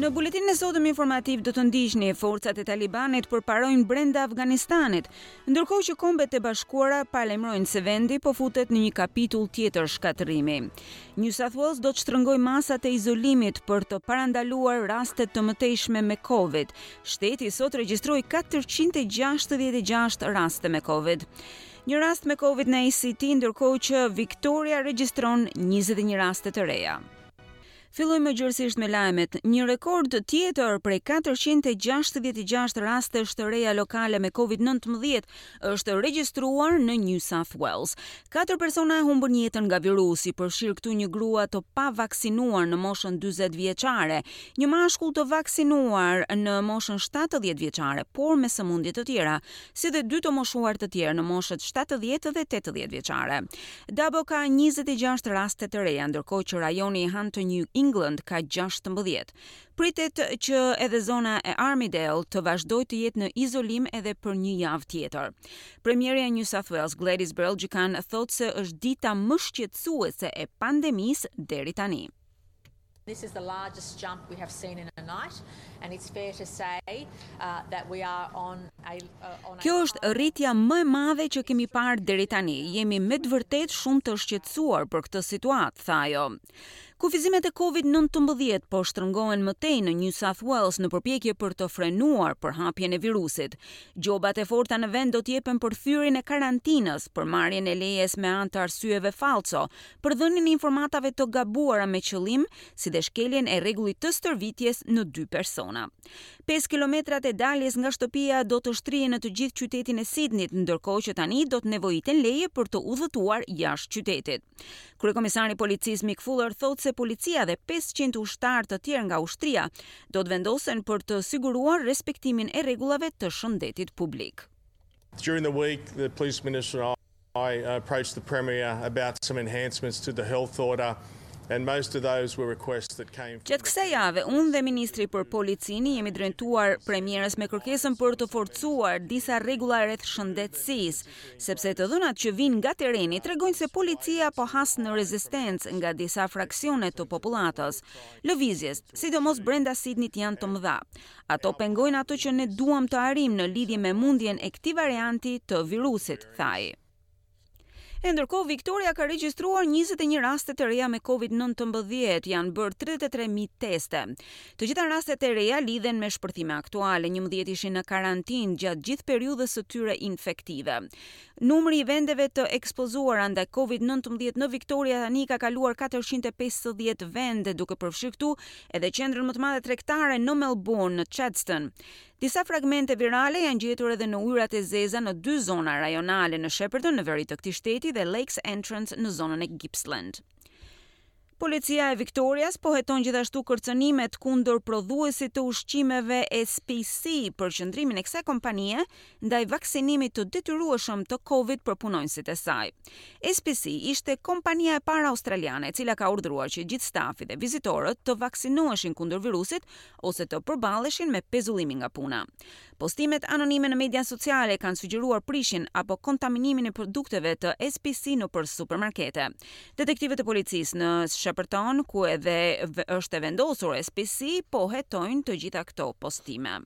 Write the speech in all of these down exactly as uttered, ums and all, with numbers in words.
Në buletinin e sotëm informativ do të ndiqni: forcat e Talibanit përparojnë brenda Afganistanit, ndërkohë që Kombet e Bashkuara paralajmërojnë se vendi po futet në një kapitull tjetër shkatërrimi. New South Wales do të shtrëngojë masat e izolimit për të parandaluar raste të mëtejshme me Covid. Shteti sot regjistroi katërqind e gjashtëdhjetë e gjashtë raste me Covid. Një rast me Covid në A C T, ndërkohë që Victoria regjistron njëzet e një raste të reja. Fillojmë gjërësisht me lajmet. Një rekord tjetër prej katërqind e gjashtëdhjetë e gjashtë rastesh të reja lokale me Covid nëntëmbëdhjetë është regjistruar në New South Wales. Katër persona e humbën jetën nga virusi, përfshirë këtu një grua të pavaksinuar në moshën dyzet vjeçare, një mashkull të vaksinuar në moshën shtatëdhjetë vjeçare, por me sëmundje të tjera, si dhe dy të moshuar të tjerë në moshët shtatëdhjetë dhe tetëdhjetë vjeçare. Dubbo ka njëzet e gjashtë raste të reja, ndërkohë që rajoni i Hunter New England ka gjashtëmbëdhjetë. Pritet që edhe zona e Armidale të vazhdojë të jetë në izolim edhe për një javë tjetër. Premierja e New South Wales, Gladys Berejiklian, thotë se është dita më shqetësuese e pandemisë deri tani. This is the largest jump we have seen in a night, and it's fair to say uh, that we are on a uh, on a Kjo është rritja më e madhe që kemi parë deri tani. Jemi me të vërtetë shumë të shqetësuar për këtë situatë, tha ajo. Kufizimet e Covid nëntëmbëdhjetë po shtrëngohen më tej në New South Wales në përpjekje për të frenuar përhapjen e virusit. Gjobat e forta në vend do të jepen për thyerjen e karantinës, për marrjen e lejes me anë të arsyeve falso, për dhënien e informatave të gabuara me qëllim, si dhe shkeljen e rregullit të stërvitjes në dy persona. pesë kilometrat e daljes nga shtëpia do të shtrihen në të gjithë qytetin e Sydneyt, ndërkohë që tani do të nevojiten leje për të udhëtuar jashtë qytetit. Kryekomisari i policisë Mick Fuller thotë se policia dhe pesëqind ushtarë të tjerë nga ushtria do të vendosen për të siguruar respektimin e rregullave të shëndetit publik. During the week, the police minister and I approached the Premier about some enhancements to the health order, and most of those were requests that came from Gjatë kësaj jave, unë dhe ministri për policinë jemi drejtuar premierës me kërkesën për të forcuar disa rregulla rreth shëndetësisë, sepse të dhënat që vijnë nga terreni tregojnë se policia po has në rezistencë nga disa fraksione të popullatës. Lëvizjet, sidomos brenda Sydneyt, janë të mëdha. Ato pengojnë ato që ne duam të arrijmë në lidhje me mundjen e këtij varianti të virusit, tha ai. E ndërkohë, Victoria ka regjistruar njëzet e një raste të reja me Covid nëntëmbëdhjetë, janë bërë tridhjetë e tre mijë teste. Të gjitha rastet e reja lidhen me shpërthime aktuale, njëmbëdhjetë ishin në karantinë gjatë gjithë periudhës së tyre infektive. Numri i vendeve të ekspozuara ndaj Covid nëntëmbëdhjetë në Victoria tani ka kaluar katërqind e pesëdhjetë vende, duke përfshirë këtu edhe qendrën më të madhe tregtare në Melbourne, në Chadstone. Disa fragmente virale janë gjetur edhe në ujërat e zeza në dy zona rajonale, në Shepparton në veri të këtij shteti dhe Lakes Entrance në zonën e Gippsland. Policia e Victorias po heton gjithashtu kërcënimet kundër prodhuesit të ushqimeve S P C për qëndrimin e kësaj kompanie ndaj vaksinimit të detyrueshëm të Covid për punonjësit e saj. S P C ishte kompania e parë australiane e cila ka urdhëruar që gjithë stafi dhe vizitorët të vaksinoheshin kundër virusit ose të përballeshin me pezullimin nga puna. Postimet anonime në media sociale kanë sugjeruar prishjen apo kontaminimin e produkteve të S P C nëpër supermarkete. Detektivët e policisë në Shepparton, ku edhe është e vendosur S P C, po hetojnë të gjitha këto postime.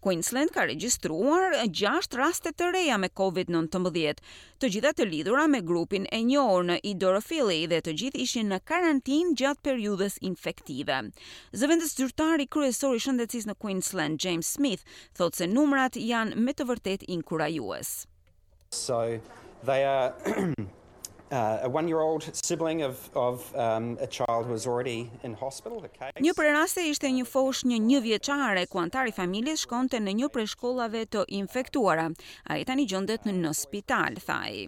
Queensland ka regjistruar gjashtë raste të reja me Covid nëntëmbëdhjetë, të gjitha të lidhura me grupin e njohur në Indooroopilly dhe të gjithë ishin në karantinë gjatë periudhës infektive. Zëvendës zyrtari kryesor i shëndetësisë në Queensland, James Smith, thotë se numrat janë me të vërtetë inkurajues. So they are uh, a one-year-old sibling of, of um, a child who was already in hospital, a case. Një prej raste ishte një foshnjë një vjeçare ku antari i familjes shkonte në një prej shkollave të infektuara. Ai tani gjendet në spital, tha ai.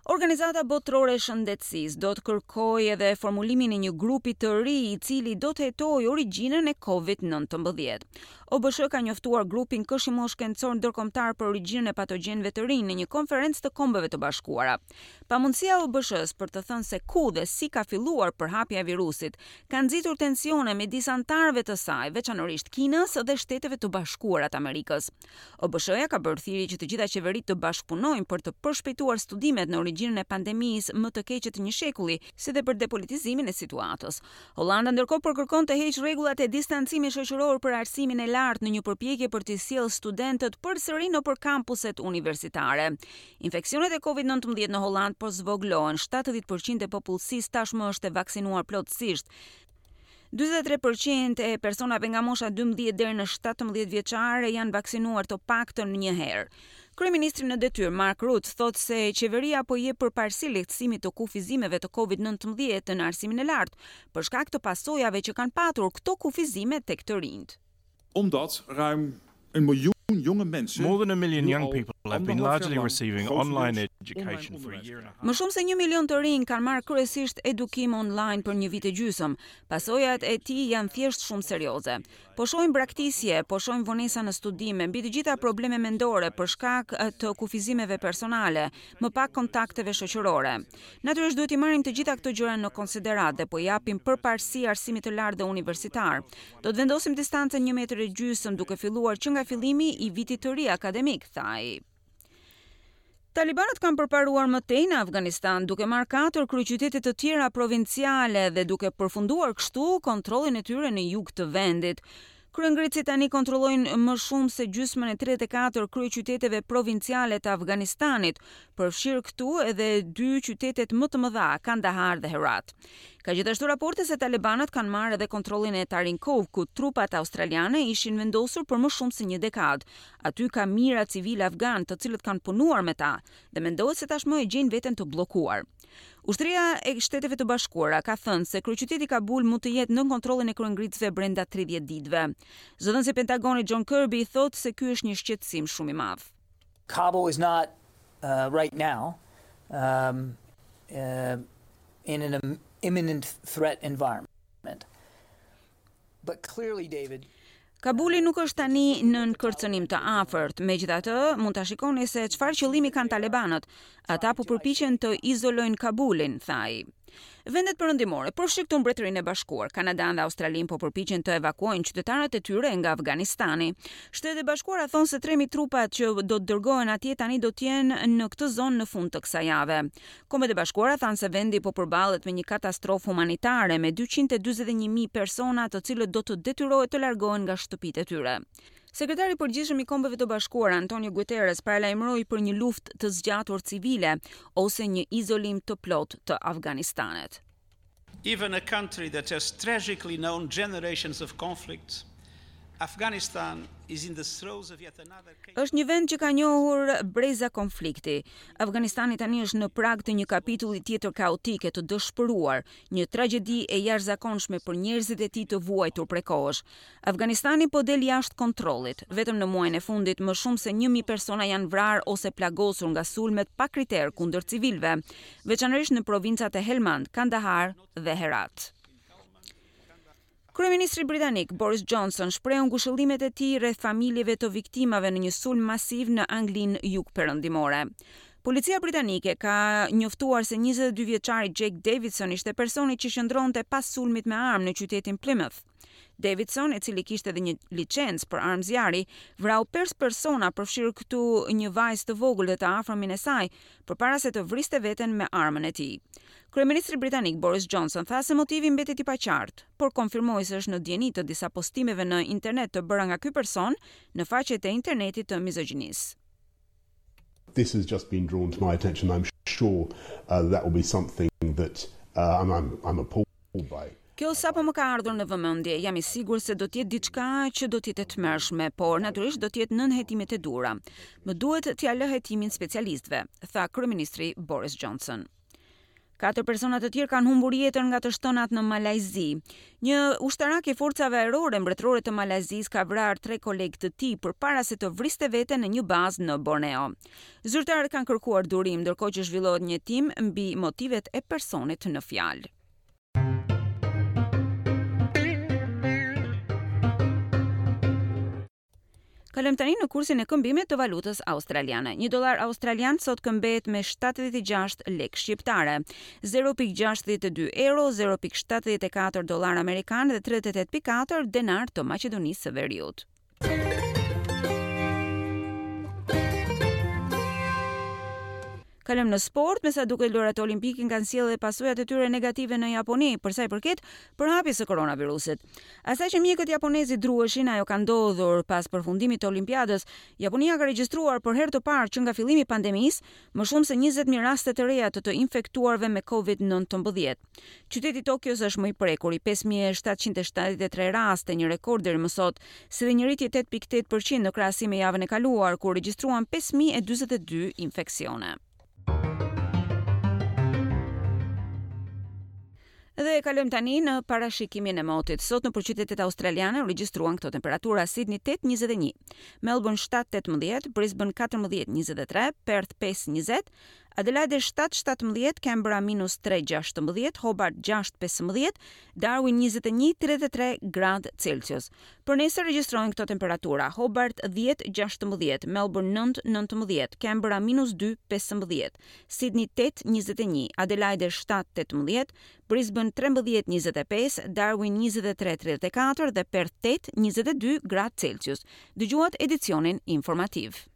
Organizata Botërore e Shëndetësisë do të kërkojë edhe formulimin e një grupi të ri i cili do të hetojë origjinën e Covid nëntëmbëdhjetë. O B S H ka njoftuar grupin këshillor shkencor ndërkombëtar për origjinën e patogjenëve të rinj në një konferencë të Kombeve të Bashkuara. Pamundësia e O B S H-s për të thënë se ku dhe si ka filluar përhapja e virusit ka nxitur tensione midis anëtarëve të saj, veçanërisht Kinës dhe Shteteve të Bashkuara të Amerikës. O B S H-ja ka bërë thirrje që të gjitha qeveritë të bashkëpunojnë për të përshpejtuar studimet në origjinën origjinën e pandemisë më të keqe të një shekulli, si dhe për depolitizimin e situatës. Holanda ndërkohë po kërkon të heqë rregullat e distancimit shoqëror për arsimin e lartë në një përpjekje për të sjellë studentët përsëri nëpër kampuset universitare. Infeksionet e Covid nëntëmbëdhjetë në Holland po zvogëlohen, shtatëdhjetë përqind e popullsisë tashmë është e vaksinuar plotësisht. dyzet e tre përqind e personave nga mosha dymbëdhjetë deri në shtatëmbëdhjetë vjeçare janë vaksinuar të paktën një herë. Kryeministri në detyrë Mark Rutte thotë se qeveria po jep përparësi lehtësimit të kufizimeve të Covid nëntëmbëdhjetë në arsimin e lartë, për shkak të pasojave që kanë patur këto kufizime tek të rinjt. Omdat ruim een miljoen jonge mensen More than a million young people have been largely receiving online education for a year and a half. Më shumë se një milion të rinj kanë marrë kryesisht edukim online për një vit e gjysmë. Pasojat e tij janë thjesht shumë serioze. Po shohim braktisje, po shohim vonesa në studime, mbi të gjitha probleme mendore për shkak të kufizimeve personale, më pak kontakteve shoqërore. Natyrisht, duhet i marrim të gjitha këto gjëra në konsideratë dhe po japim përparësi arsimit të lartë dhe universitar. Do të vendosim distancën një metër e gjysmë duke filluar që nga fillimi i vitit të ri akademik, tha ai. Talibanët kanë përparuar më tej në Afganistan, duke marrë katër kryeqytete të tjera provinciale dhe duke përfunduar kështu kontrollin e tyre në jug të vendit. Kryengritësit tani kontrollojnë më shumë se gjysmën e tridhjetë e katër kryeqyteteve provinciale të Afganistanit, përfshirë këtu edhe dy qytetet më të mëdha, Kandahar dhe Herat. Ka gjithashtu raporte se talibanët kanë marrë edhe kontrollin e Tarinkov, ku trupat australiane ishin vendosur për më shumë se një dekadë. Aty ka mijëra civil afgan të cilët kanë punuar me ta dhe mendohet se tashmë e gjejnë veten të bllokuar. Ushtria e Shteteve të Bashkuara ka thënë se kryeqyteti Kabul mund të jetë nën kontrollin e kryengritësve brenda tridhjetë ditëve. Zëdhënësi i Pentagonit John Kirby thotë se ky është një shqetësim shumë i madh. Kabul is not uh, right now um, uh, in an imminent threat environment. But clearly, David, Kabuli nuk është tani nën kërcënim të afërt. Megjithatë, mund ta shikoni se çfarë qëllimi kanë talibanët. Ata po përpiqen të izolojnë Kabulin, tha ai. Vendet perëndimore, përfshirë këtu Mbretërinë e Bashkuar, Kanadan dhe Australinë, po përpiqen të evakuojnë qytetarët e tyre nga Afganistani. Shtetet e Bashkuara thonë se tre mijë trupat që do të dërgohen atje tani do të jenë në këtë zonë në fund të kësaj jave. Kombet e Bashkuara thanë se vendi po përballet me një katastrofë humanitare me dyqind e dyzet e një mijë persona të cilët do të detyrohen të largohen nga shtëpitë e tyre. Sekretari i Përgjithshëm i Kombeve të Bashkuara Antonio Guterres paralajmëroi për një luftë të zgjatur civile ose një izolim të plotë të Afganistanit. Even a country that has tragically known generations of conflict, Afghanistan is in the throes of yet another Është një vend që ka njohur breza konflikti. Afganistani tani është në prag të një kapitulli tjetër kaotik e të dëshpëruar, një tragjedi e jashtëzakonshme për njerëzit e tij të vuajtur prej kohësh. Afganistani po del jashtë kontrollit. Vetëm në muajin e fundit më shumë se një mijë persona janë vrarë ose plagosur nga sulmet pa kriter kundër civilëve, veçanërisht në provincat e Helmand, Kandahar dhe Herat. Kryeministri britanik Boris Johnson shprehu ngushëllimet e tij rreth familjeve të viktimave në një sulm masiv në Anglinë jugperëndimore. Policia britanike ka njoftuar se njëzet e dy vjeçari Jake Davidson ishte personi që qëndronte pas sulmit me armë në qytetin Plymouth. Davidson, i cili kishte edhe një licencë për armë zjarri, vrau pesë persona, përfshirë këtu një vajzë të vogël dhe të afërmin e saj, përpara se të vriste veten me armën e tij. Kryeministri britanik Boris Johnson tha se motivi mbetet i paqartë, por konfirmoi se është në dijeni të disa postimeve në internet të bëra nga ky person në faqet e internetit të mizogjinisë. This has just been drawn to my attention. I'm sure uh, that will be something that uh, I'm, I'm, I'm appalled by. Kjo sapo më ka ardhur në vëmendje, jam i sigurt se do të jetë diçka që do të jetë e tmerrshme, por natyrisht do të jetë nën hetimet e duhura. Më duhet t'ia lë hetimin specialistëve, tha kryeministri Boris Johnson. Katër persona të tjerë kanë humbur jetën nga të shtënat në Malajzi. Një ushtarak i forcave ajrore mbretërore të Malajzisë ka vrarë tre kolegë të tij përpara se të vriste veten në një bazë në Borneo. Zyrtarët kanë kërkuar durim ndërkohë që zhvillohet një hetim mbi motivet e personit në fjalë. Kalojmë tani në kursin e këmbimit të valutës australiane. Një dollar australian sot këmbehet me shtatëdhjetë e gjashtë lekë shqiptare, zero pikë gjashtëdhjetë e dy euro, zero pikë shtatëdhjetë e katër dollar amerikan dhe tridhjetë e tetë pikë katër denar të Maqedonisë së Veriut. Kalojmë në sport, me sa duket lojërat olimpike kanë sjellë pasojat e tyre negative në Japoni për sa i përket përhapjes së koronavirusit. Asaj që mjekët japonezë i druheshin, ajo ka ndodhur pas përfundimit të Olimpiadës. Japonia ka regjistruar për herë të parë që nga fillimi i pandemisë më shumë se njëzet mijë raste të reja të të infektuarve me Covid nëntëmbëdhjetë. Qyteti i Tokios është më i prekur, i pesë mijë e shtatëqind e shtatëdhjetë e tre raste, një rekord deri më sot, si dhe një rritje tetë pikë tetë përqind në krahasim me javën e kaluar, kur regjistruan pesë mijë e dyzet e dy infeksione. Dhe kalojmë tani në parashikimin e motit. Sot në qytetet australiane u regjistruan këto temperatura: Sydney tetë njëzet e një, Melbourne shtatë tetëmbëdhjetë, Brisbane katërmbëdhjetë njëzet e tre, Perth pesë njëzet, Adelaide shtatë shtatëmbëdhjetë, Canberra minus tre gjashtëmbëdhjetë, Hobart gjashtë pesëmbëdhjetë, Darwin njëzet e një tridhjetë e tre gradë Celsius. Për nesër regjistrohen këto temperatura: Hobart dhjetë gjashtëmbëdhjetë, Melbourne nëntë nëntëmbëdhjetë, Canberra minus dy pesëmbëdhjetë, Sydney tetë njëzet e një, Adelaide shtatë tetëmbëdhjetë, Brisbane trembëdhjetë njëzet e pesë, Darwin njëzet e tre tridhjetë e katër dhe Perth tetë njëzet e dy gradë Celsius. Dëgjuat edicionin informativ.